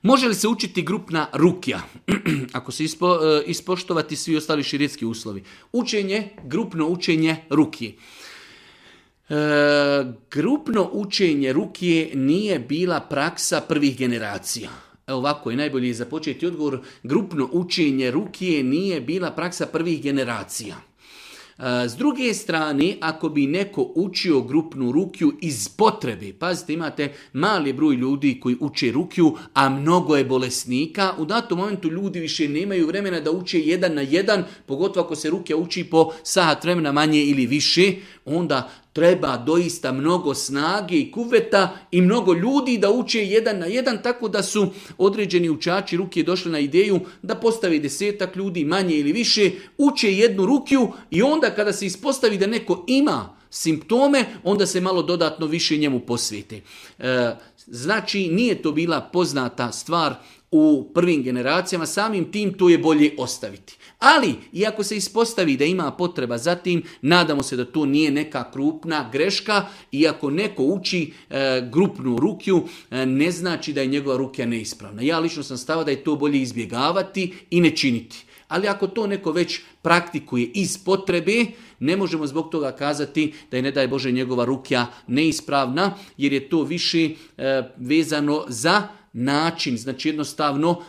Može li se učiti grupna rukja? Ako se ispoštovati svi ostali šerijetski uslovi. Grupno učenje rukje. Grupno učenje rukje nije bila praksa prvih generacija. Evo ovako je najbolje započeti odgovor. Grupno učenje rukje nije bila praksa prvih generacija. S druge strane, ako bi neko učio grupnu rukju iz potrebe, pazite, imate mali broj ljudi koji uče rukju, a mnogo je bolesnika, u datom momentu ljudi više nemaju vremena da uče 1 na 1, pogotovo ako se rukja uči po sat vremena manje ili više, onda treba doista mnogo snage i kuveta i mnogo ljudi da uče 1 na 1, tako da su određeni učači rukje došli na ideju da postavi 10 ljudi, manje ili više, uče jednu rukju i onda kada se ispostavi da neko ima simptome, onda se malo dodatno više njemu posvete. Znači, nije to bila poznata stvar u prvim generacijama, samim tim to je bolje ostaviti. Ali, iako se ispostavi da ima potreba za tim, nadamo se da to nije neka krupna greška, iako neko uči grupnu rukju, ne znači da je njegova rukja neispravna. Ja lično sam stava da je to bolje izbjegavati i ne činiti. Ali ako to neko već praktikuje iz potrebe, ne možemo zbog toga kazati da je, ne daj Bože, njegova rukja neispravna, jer je to više vezano za način, znači jednostavno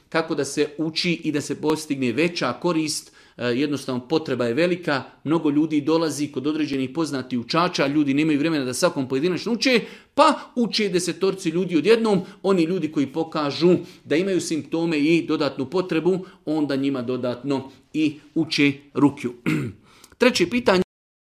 kako da se uči i da se postigne veća korist. Jednostavno potreba je velika, mnogo ljudi dolazi kod određenih poznatih učača, ljudi nemaju vremena da svakom pojedinačno uče, pa uče 10 ljudi odjednom, oni ljudi koji pokažu da imaju simptome i dodatnu potrebu, onda njima dodatno i uče rukju. Treće pitanje.